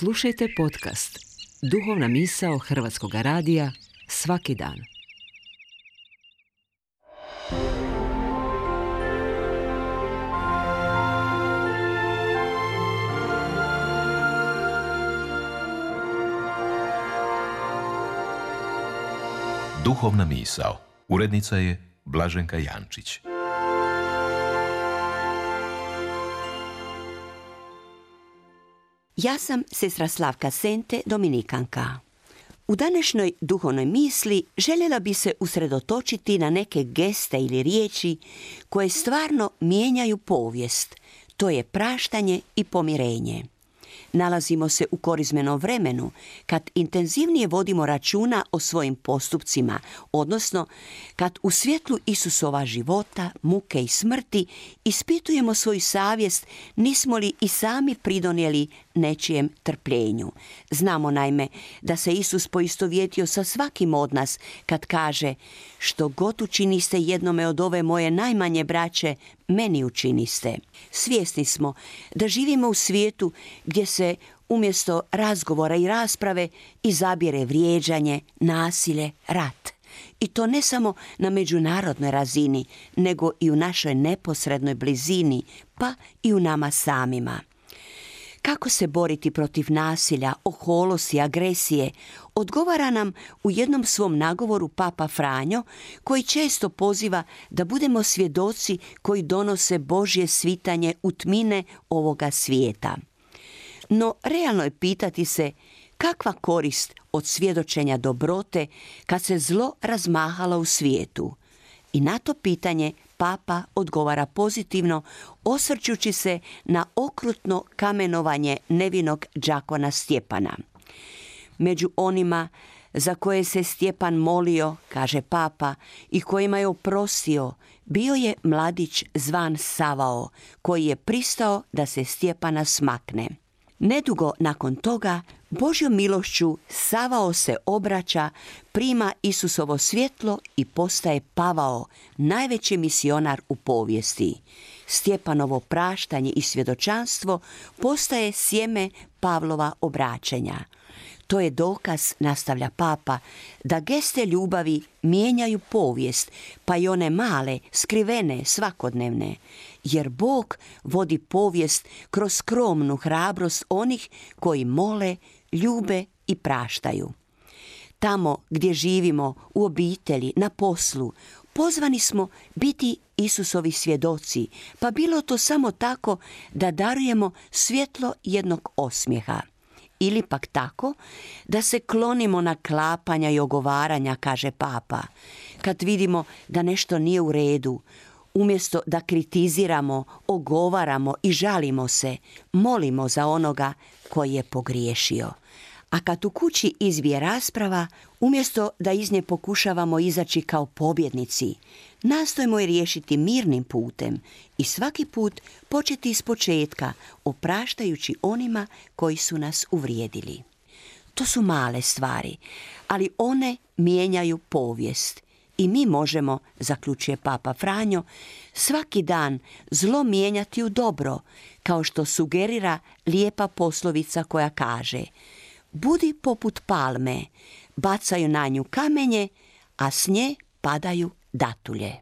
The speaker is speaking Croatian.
Slušajte podcast Duhovna misao Hrvatskog radija svaki dan. Duhovna misao. Urednica je Blaženka Jančić. Ja sam sestra Slavka Sente, dominikanka. U današnjoj duhovnoj misli željela bi se usredotočiti na neke geste ili riječi koje stvarno mijenjaju povijest. To je praštanje i pomirenje. Nalazimo se u korizmenom vremenu kad intenzivnije vodimo računa o svojim postupcima, odnosno kad u svjetlu Isusova života, muke i smrti ispitujemo svoju savjest nismo li i sami pridonijeli nečijem trpljenju. Znamo naime da se Isus poistovjetio sa svakim od nas kad kaže: što god učiniste jednome od ove moje najmanje braće, meni učiniste. Svjesni smo da živimo u svijetu gdje se umjesto razgovora i rasprave izabire vrijeđanje, nasilje, rat. I to ne samo na međunarodnoj razini, nego i u našoj neposrednoj blizini, pa i u nama samima. Kako se boriti protiv nasilja, oholosti, agresije, odgovara nam u jednom svom nagovoru Papa Franjo, koji često poziva da budemo svjedoci koji donose Božje svitanje u tmine ovoga svijeta. No, realno je pitati se kakva korist od svjedočenja dobrote kad se zlo razmahalo u svijetu. I na to pitanje Papa odgovara pozitivno, osvrćući se na okrutno kamenovanje nevinog đakona Stjepana. Među onima za koje se Stjepan molio, kaže Papa, i kojima je oprostio, bio je mladić zvan Savao, koji je pristao da se Stjepana smakne. Nedugo nakon toga, Božjom milošću Savao se obraća, prima Isusovo svjetlo i postaje Pavao, najveći misionar u povijesti. Stjepanovo praštanje i svjedočanstvo postaje sjeme Pavlova obraćanja. To je dokaz, nastavlja Papa, da geste ljubavi mijenjaju povijest, pa i one male, skrivene, svakodnevne. Jer Bog vodi povijest kroz skromnu hrabrost onih koji mole, ljube i praštaju. Tamo gdje živimo, u obitelji, na poslu, pozvani smo biti Isusovi svjedoci, pa bilo to samo tako da darujemo svjetlo jednog osmijeha. Ili pak tako da se klonimo naklapanja i ogovaranja, kaže Papa. Kad vidimo da nešto nije u redu, umjesto da kritiziramo, ogovaramo i žalimo se, molimo za onoga koji je pogriješio. A kad u kući izbije rasprava, umjesto da iz nje pokušavamo izaći kao pobjednici, nastojimo je riješiti mirnim putem i svaki put početi iz početka, opraštajući onima koji su nas uvrijedili. To su male stvari, ali one mijenjaju povijest. I mi možemo, zaključuje Papa Franjo, svaki dan zlo mijenjati u dobro, kao što sugerira lijepa poslovica koja kaže: budi poput palme, bacaju na nju kamenje, a s nje padaju datulje.